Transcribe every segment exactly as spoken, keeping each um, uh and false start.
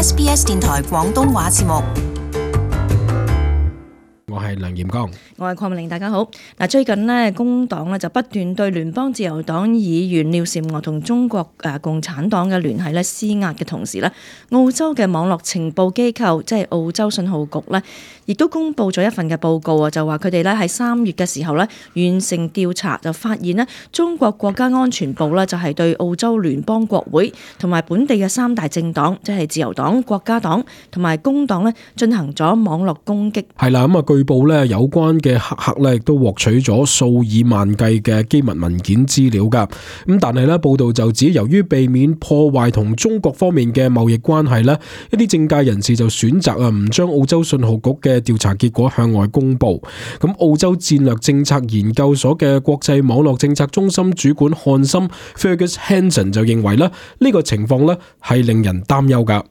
S B S 電台廣東話節目。我係梁炎剛，我係鄺美玲，大家好。嗱，最近呢，工黨咧就不斷對聯邦自由黨議員廖嬋娥同中國誒共產黨嘅聯繫咧施壓嘅同時咧，澳洲嘅網絡情報機構即係澳洲信號局咧，亦都公布咗一份嘅報告啊，就話佢哋咧喺三月嘅時候咧完成調查，就發現咧中國國家安全部咧就係對澳洲聯邦國會同埋本地嘅三大政黨，即係自由黨、國家黨同埋工黨咧進行咗網絡攻擊。係啦，咁啊，據報咧有關嘅黑客咧亦都獲取咗數以萬計嘅機密文件資料噶。咁但係咧報道就指，由於避免破壞同中國方面嘅貿易關係咧，一啲政界人士就選擇啊唔將澳洲信號局嘅調查結果向外公布。咁澳洲戰略政策研究所嘅國際網絡政策中心主管漢森 Fergus Hanson 就認為咧呢個情況咧係令人擔憂噶。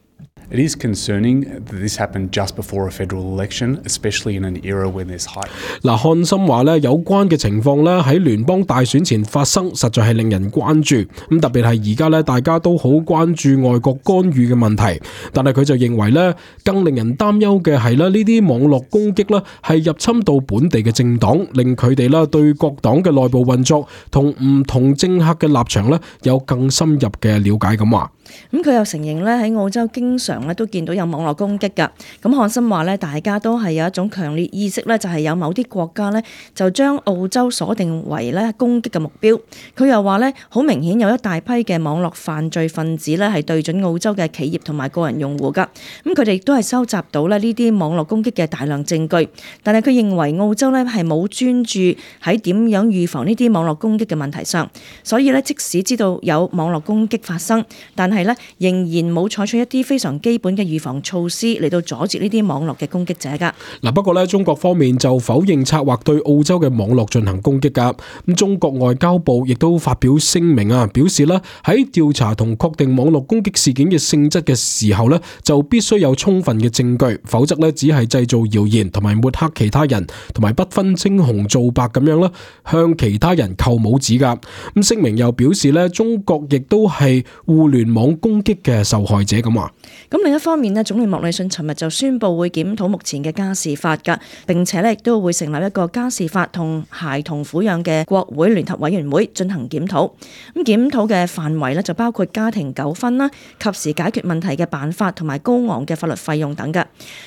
It is concerning that this happened just before a federal election, especially in an era when there's hype. 嗱，漢森話咧，有關嘅情況咧喺聯邦大選前發生，實在係令人關注。咁特別係而家咧，大家都好關注外國干預嘅問題。但係佢就認為咧，更令人擔憂嘅係咧，呢啲網絡攻擊咧係入侵到本地嘅政黨，令佢哋咧對各黨嘅內部運作同唔同政客嘅立場咧有更深入嘅了解咁話。咁佢又承認咧喺澳洲經常咧都見到有網絡攻擊㗎。咁漢森話咧，大家都係有一種強烈意識咧，就係有某啲國家咧就將澳洲鎖定為咧攻擊嘅目標。佢又話咧，好明顯有一大批嘅網絡犯罪分子咧係對準澳洲嘅企業同埋個人用戶㗎。咁佢哋亦都係收集到咧呢啲網絡攻擊嘅大量證據。但係佢認為澳洲咧係冇專注喺點樣預防呢啲網絡攻擊嘅問題上，所以咧即使知道有網絡攻擊發生，但係咧仍然冇採取一啲非常基本嘅預防措施嚟到阻截呢啲網絡嘅攻擊者噶。嗱，不過咧中國方面就否認策劃對澳洲嘅網絡進行攻擊噶。咁中國外交部亦都發表聲明啊，表示咧喺調查同確定網絡攻擊事件嘅性質嘅時候咧，就必須有充分嘅證據，否則咧只係製造謠言同埋抹黑其他人，同埋不分青紅皂白咁樣啦，向其他人扣帽子噶。咁聲明又表示咧，中國亦都係互聯網攻擊嘅受害者咁話。咁另一方面咧，總理莫里遜尋日就宣布會檢討目前嘅家事法噶，並且咧亦都會成立一個家事法同孩童撫養嘅國會聯合委員會進行檢討。咁檢討嘅範圍咧就包括家庭糾紛啦、及時解決問題嘅辦法同埋高昂嘅法律費用等噶。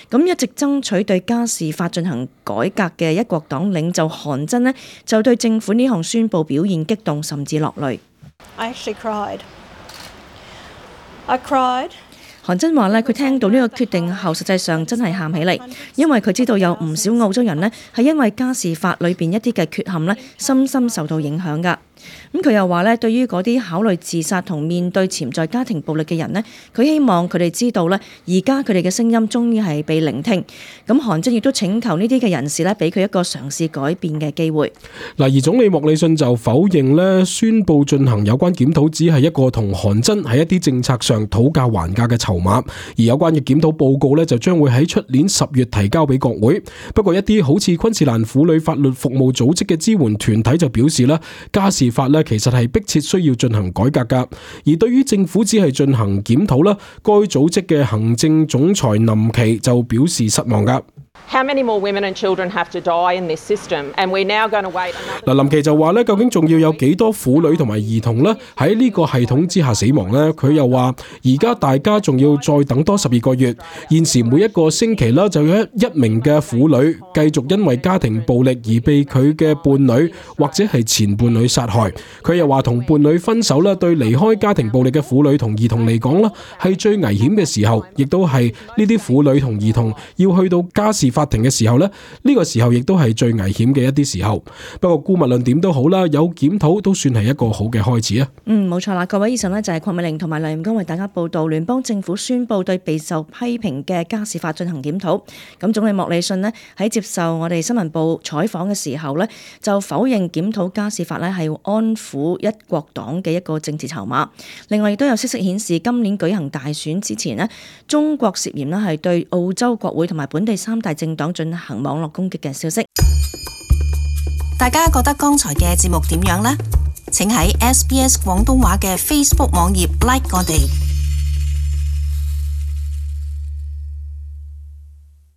咁一直爭取對家事法進行改革嘅一國黨領袖韓真呢，就對政府呢項宣布表現激動，甚至落淚。I actually cried. I cried. 韓真話咧，佢聽到呢個決定後，實際上真係喊起嚟，因為佢知道有唔少澳洲人呢係因為家事法裏邊一啲嘅缺陷呢，深深受到影響㗎。咁佢又話咧，對於嗰啲考慮自殺同面對潛在家庭暴力嘅人呢，佢希望佢哋知道咧，而家佢哋嘅聲音終於係被聆聽。咁韓真亦都請求呢啲嘅人士咧，俾佢一個嘗試改變嘅機會。嗱，而總理莫里遜就否認咧，宣布進行有關檢討只係一個同韓真喺一啲政策上討價還價嘅籌碼，而有關嘅檢討報告咧就將會喺出年十月提交俾國會。不過一啲好似昆士蘭婦女法律服務組織嘅支援團體就表示啦，家事法咧其實係迫切需要進行改革噶。而對於政府只係進行檢討啦，該組織嘅行政總裁林奇就表示失望噶。How many more women and children have to die in this system? And we're now going to wait. 嗱，林奇就話咧，究竟仲要有幾多婦女同埋兒童咧喺呢個系統之下死亡咧？佢又話，而家大家仲要再等多十二個月。現時每一個星期啦，就有一一名嘅婦女繼續因為家庭暴力而被佢嘅伴侶或者係前伴侶殺害。佢又話，同伴侶分手咧，對離開家庭暴力嘅婦女同兒童嚟講啦，係最危險嘅時候，亦都係呢啲婦女同兒童要去到家事法庭嘅時候呢，呢個時候亦都係最危險嘅一啲時候。不過姑勿論點都好啦，有檢討都算係一個好嘅開始啊。嗯，冇錯啦，各位以上呢就係鄺美玲同埋梁炎剛為大家報道聯邦政府宣布對備受批評嘅家事法進行檢討。咁總理莫里遜呢喺接受我哋新聞部採訪嘅時候呢，就否認檢討家事法呢係安撫一國黨嘅一個政治籌碼。另外亦都有消息顯示，今年舉行大選之前呢，中國涉嫌呢係對澳洲國會同埋本地三大政黨進行網絡攻擊嘅消息。大家覺得剛才嘅節目點樣呢？請喺 S B S 廣東話嘅 Facebook 網頁 like 我哋。